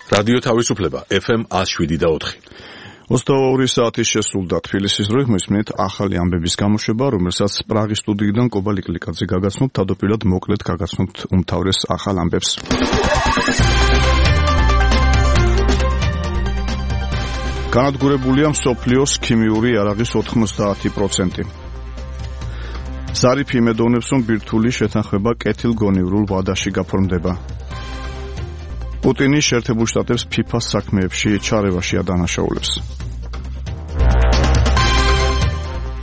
რადიო თავისუფლება FM 107.4. 22 საათის შესრულდა თბილისის დროით მისმენთ ახალი ამბების გამოშვება, რომელსაც პრაღის სტუდიიდან კობა ლიკლიკაძე გაგაცნობთ, თავდაპირველად მოკლედ გაგაცნობთ უმთავრეს ახალ ამბებს. განადგურებულია მსოფლიოს ქიმიური იარაღის 90%. ზარიფი იმედოვნებს, რომ ბირთვული შეთანხმება კეთილგონივრულ ვადაში გაფორმდება. პუტინი შეერთებულ შტატებს FIFA-ს საქმეებში ჩარევაში ადანაშაულებს.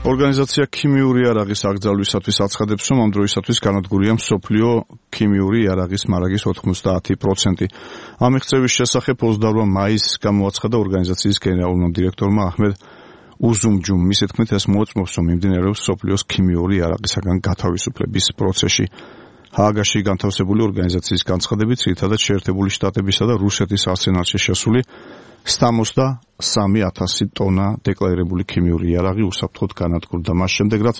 ორგანიზაცია ქიმიური იარაღის აკრძალვისათვის აცხადებს, რომ ამ დროისათვის განადგურია მსოფლიო ქიმიური იარაღის მარაგის 90%. ამ მიღწევის შესახებ 28 მაისს გამოაცხადა ორგანიზაციის გენერალურმა დირექტორმა აჰმედ უზუმჯუმ. მისი თქმით, ეს მოწმობს, რომ მიმდინარეობს მსოფლიოს ქიმიური იარაღისაგან გათავისუფლების პროცესი. ჰააგაში განთავსებული ორგანიზაციის განცხადებით, ძირითადად შეერთებული შტატებისა და რუსეთის არსენალში შესული 73,000 ტონა დეკლარირებული ქიმიური იარაღი უსაფრთხოდ განადგურდა. მას შემდეგ, რაც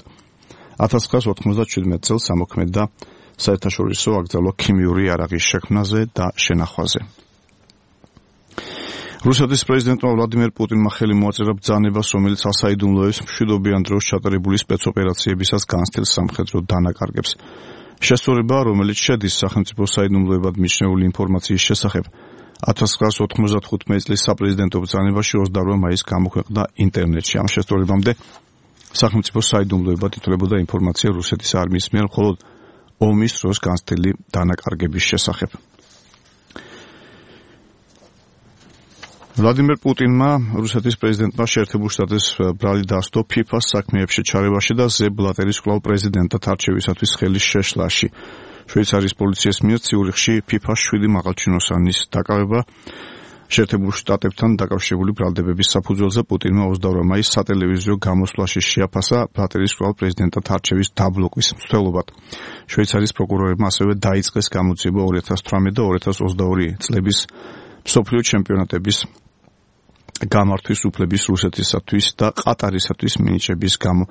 1997 წელს ამოქმედდა საერთაშორისო აკრძალვა ქიმიური იარაღის შექმნაზე და შენახვაზე. რუსეთის პრეზიდენტმა ვლადიმერ პუტინმა ხელი მოაწერა ბრძანებას, რომელიც ასაიდუმლოებს მშვიდობიან დროს ჩატარებული სპეცოპერაციებისას განცდილ სამხედრო დანაკარგებს. შესწორება, რომელიც შედის სახელმწიფო საიდუმლოებად მიჩნეული ინფორმაციის შესახებ, 1995 წლის საპრეზიდენტო ბრძანებაში 28 მაისს გამოქვეყნდა ინტერნეტში. ამ შესწორებამდე სახელმწიფო საიდუმლოებად ითვლებოდა ინფორმაცია რუსეთის არმიის მიერ მხოლოდ ომის დროს განცდილი დანაკარგების შესახებ. ვლადიმერ პუტინმა რუსეთის პრეზიდენტმა შეერთებულ შტატებს ბრალი დასდო FIFA-ს საქმეებში ჩარევაში და ზებ ბლატერის კვლავ პრეზიდენტად არჩევისათვის ხელის შეშლაში. შვეიცარიის პოლიციის მიერ ციურიხში FIFA-ს 7 მაღალჩინოსანის დაკავება შეერთებულ შტატებთან დაკავშირებული ბრალდებების საფუძველზე პუტინმა 22 მაისს სატელევიზიო გამოსვლაში შეაფასა ბლატერის კვლავ პრეზიდენტად არჩევის დაბლოკვის მცდელობად. შვეიცარიის პროკურორებმა ასევე დაიწყეს გამოძიება 2018 და 2022 წლების მსოფლიო ჩემპიონატების გამართვის უფლების რუსეთისათვის და ყატარისათვის მინიჭების გამო.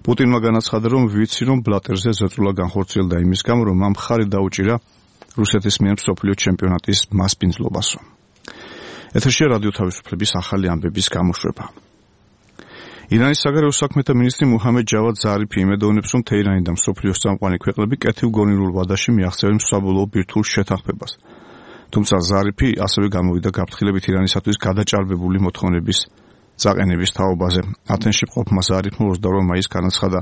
პუტინმა განაცხადა, რომ ვიცი, რომ ბლატერზე ზეწოლა განხორციელდა იმის გამო, რომ ამ მხარი დაუჭირა რუსეთის მიერ მსოფლიო ჩემპიონატის მასპინძლობასო. ეთერშია რადიო თავისუფლების ახალი ამბების გამოშვება. ირანის საგარეო საქმეთა მინისტრი მუჰამედ ჯავად ზარიფი იმედოვნებს, რომ თეირანი და მსოფლიოს წამყვანი ქვეყნები კეთილგონივრულ ვადაში მიაღწევენ საბოლოო ბირთვულ შეთანხმებას. თუმცა ზარიფი ასევე გამოვიდა გაფრთხილებით ირანისათვის გადაჭარბებული მოთხოვნების წაყენების თაობაზე. ათენში მყოფმა ზარიფმა 22 მაისს განაცხადა,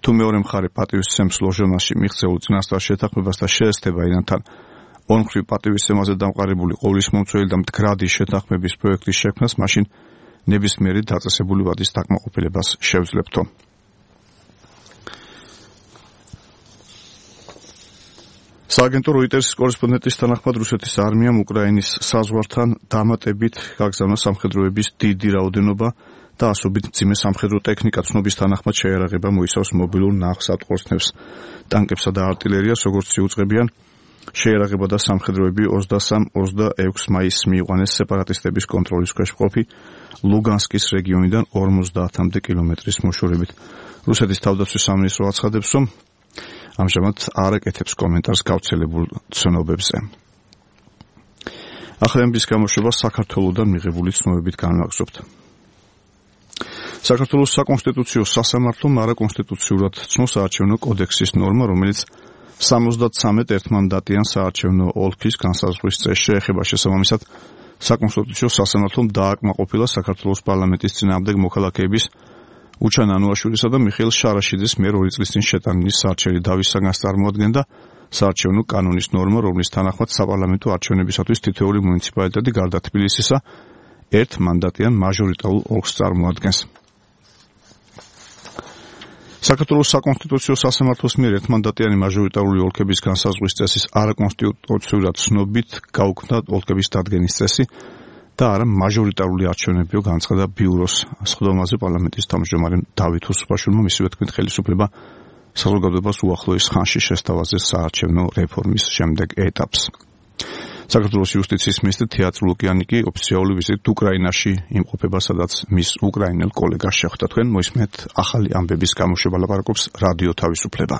თუ მეორე მხარე პატივისცემს ლოჟონაში მიღწეულ წინასწარ შეთანხმებას და შეესწრება ირანთან ორმხრივ პატივისცემაზე დამყარებული ყოვლისმომცველი და მდგრადი შეთანხმების პროექტის შექმნას, მაშინ ნებისმიერი დაწესებული ვადის დაკმაყოფილებას შევძლებთო. სააგენტო როიტერსის კორესპონდენტის თანახმად რუსეთის არმიამ უკრაინის საზღვართან დამატებით გაგზავნა სამხედროების დიდი რაოდენობა და ასობით მძიმე სამხედრო ტექნიკა. ცნობის თანახმად შეიარაღება მოიცავს მობილურ ნაღსატყორცნებს, ტანკებსა და არტილერიას, როგორც იუწყებიან. შეიარაღება და სამხედროები 23-26 მაისს მიიყვანეს სეპარატისტების კონტროლის ქვეშ მყოფი ლუგანსკის რეგიონიდან 50-მდე კილომეტრის მოშორებით. რუსეთის თავდაცვის სამინისტრო აცხადებს, რომ ამჟამად არ აკეთებს კომენტარს გავრცელებულ ცნობებზე. ახალი ამბების გამოშვება საქართველოსთან მიღებული ცნობებით განვაგრძობთ. საქართველოს საკონსტიტუციო სასამართლომ არაკონსტიტუციურად ცნობს საარჩევნო კოდექსის ნორმა, რომელიც 73 ერთმანდატიან საარჩევნო ოლქის განსაზღვრის წესს შეეხება. შესაბამისად, საკონსტიტუციო სასამართლომ დააკმაყოფილა საქართველოს პარლამენტის წინააღმდეგ მოქალაქეების უჩან ანუაშვილისა და მიხეილ შარაშიძის მიერ 2 წლის წინ შეტანილი საარჩევნო დავის საგანს წარმოადგენდა საარჩევნო კანონის ნორმა, რომლის თანახმად საპარლამენტო არჩევნებისათვის თითოეული მუნიციპალიტეტი გარდა თბილისისა ერთმანდატიან მაჟორიტარულ ოლქს წარმოადგენს. საქართველოს საკონსტიტუციო სასამართლოს მიერ ერთმანდატიანი მაჟორიტარული ოლქების განსაზღვრის წესის არაკონსტიტუციურად ცნობით გაუქმდა ოლქების დადგენის წესი და არა მაჟორიტარული არჩევნებიო, განაცხადა ბიუროს სხდომაზე პარლამენტის თავმჯდომარე დავით უსუფაშვილმა. მისივე თქმით, ხელისუფლება საზოგადოებას უახლოეს ხანში შესთავაზეს საარჩევნო რეფორმის შემდეგ ეტაპს. საქართველოს იუსტიციის მინისტრი თეატრი ლუკიანიკი ოფიციალური ვიზიტით უკრაინაში იმყოფება, სადაც მის უკრაინელ კოლეგას შეხვდა. თქვენ მოისმენთ ახალი ამბების გამოშვება, ლაპარაკობს რადიო თავისუფლება.